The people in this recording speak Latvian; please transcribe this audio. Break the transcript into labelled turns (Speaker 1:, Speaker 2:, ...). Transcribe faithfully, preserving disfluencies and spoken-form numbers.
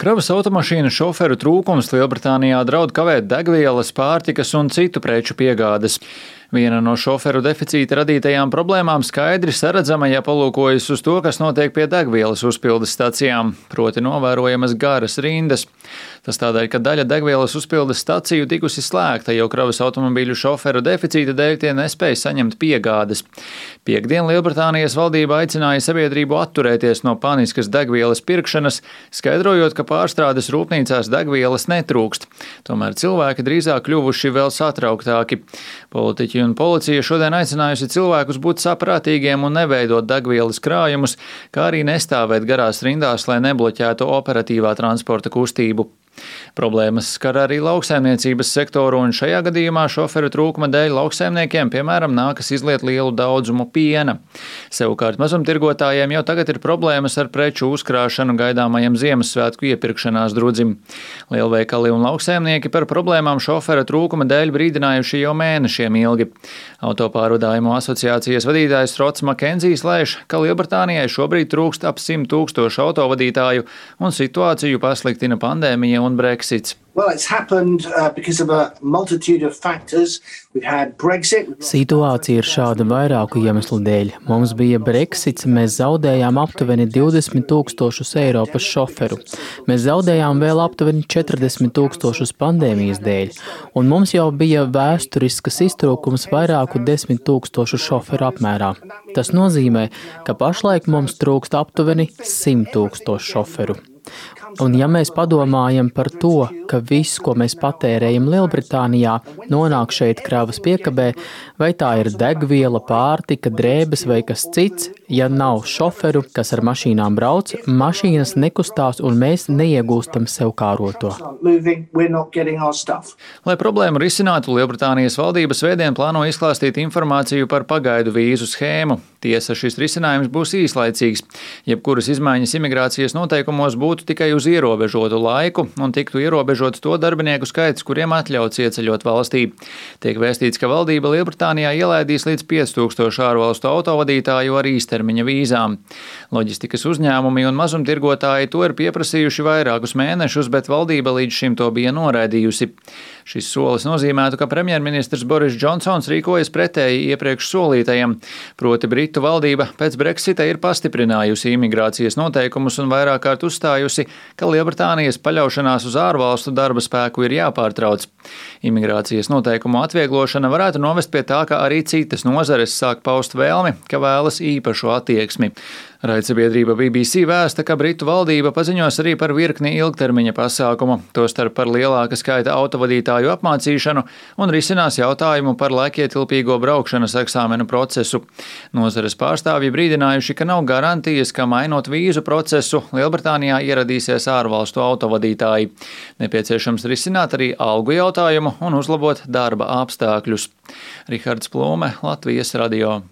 Speaker 1: Kravas automašīnu šoferu trūkums Lielbritānijā draud kavēt degvielas, pārtikas un citu preču piegādes. Viena no šoferu deficīta radītajām problēmām skaidri saredzama, ja palūkojas uz to, kas notiek pie degvielas uzpildes stacijām, proti novērojamas garas rindas. Tas tādēļ, ka daļa degvielas uzpildes staciju tikusi slēgta, jo kravas automobīļu šoferu deficīta dēļ tie nespēja saņemt piegādes. Piektdien Lielbritānijas valdība aicināja sabiedrību atturēties no paniskas degvielas pirkšanas, skaidrojot, ka pārstrādes rūpnīcās degvielas netrūkst. Tomēr cilvēki drīzāk kļuvuši vēl satrauktāki. Politiķi un policija šodien aicinājusi cilvēkus būt saprātīgiem un neveidot degvielas krājumus, kā arī nestāvēt garās rindās, lai nebloķētu operatīvā transporta kustību. Problēmas skar arī lauksaimniecības sektoru, un šajā gadījumā šoferu trūkuma dēļ lauksaimniekiem, piemēram, nākas izliet lielu daudzumu piena. Savukārt mazumtirgotājiem jau tagad ir problēmas ar preču uzkrāšanu gaidāmajam Ziemassvētku iepirkšanās drudzim. Lielveikali un lauksaimnieki par problēmām šofera trūkuma dēļ brīdinājuši jau mēnešiem ilgi. Autopārvadājumu asociācijas vadītājs Rots Makenzijs lēš, ka Lielbritānijai šobrīd trūkst ap simt tūkstošu autovadītāju, un situāciju pasliktina pandēmija un Brexits.
Speaker 2: Well, it's happened uh, because of a multitude of factors. We've had Brexit.
Speaker 3: Situācija ir šāda vairāku iemeslu dēļ. Mums bija Brexits, mēs zaudējām aptuveni divdesmit tūkstošus Eiropas šoferu. Mēs zaudējām vēl aptuveni četrdesmit tūkstošus pandēmijas dēļ, un mums jau bija vēsturiskas iztrūkums vairāku desmit tūkstošu šoferu apmērā. Tas nozīmē, ka pašlaik mums trūkst aptuveni simt tūkstošu šoferu. Un ja mēs padomājam par to, ka viss, ko mēs patērējam Lielbritānijā, nonāk šeit kravas piekabē, vai tā ir degviela, pārtika, drēbes vai kas cits, ja nav šoferu, kas ar mašīnām brauc, mašīnas nekustās un mēs neiegūstam sev kāroto.
Speaker 1: Lai problēmu risinātu, Lielbritānijas valdība svētdien plāno izklāstīt informāciju par pagaidu vīzu schēmu. Tiesa, šis risinājums būs īslaicīgs. Jebkuras izmaiņas imigrācijas noteikumos būtu tikai uz ierobežotu laiku un tiktu ierobežots to darbinieku skaits, kuriem atļauts ieceļot valstī. Tiek vēstīts, ka valdība Lielbritānijā ielaidīs līdz pieci tūkstoši ārvalstu autovadītāju ar īstermiņa vīzām. Loģistikas uzņēmumi un mazumtirgotāji to ir pieprasījuši vairākus mēnešus, bet valdība līdz šim to bija noraidījusi. Šis solis nozīmētu, ka premjerministrs Boris Džonsons rīkojas pretēji iepriekš solītajam, proti Britu valdība pēc Brexita ir pastiprinājusi imigrācijas noteikumus un vairāk kārt uzstājusi, ka Lielbritānijas paļaušanās uz ārvalstu darba spēku ir jāpārtrauc. Imigrācijas noteikumu atvieglošana varētu novest pie tā, ka arī citas nozares sāk paust vēlmi, ka vēlas īpašu attieksmi. Raidsabiedrība B B C vēsta, ka Britu valdība paziņos arī par virkni ilgtermiņa pasākumu, tostarp par lielāka skaita autovadītāju apmācīšanu un risinās jautājumu par laikietilpīgo braukšanas eksāmenu procesu. Nozares pārstāvji brīdinājuši, ka nav garantijas, ka mainot vīzu procesu, Lielbritānijā ieradīsies ārvalstu autovadītāji. Nepieciešams risināt arī algu jautājumu un uzlabot darba apstākļus. Rihards Plūme, Latvijas radio.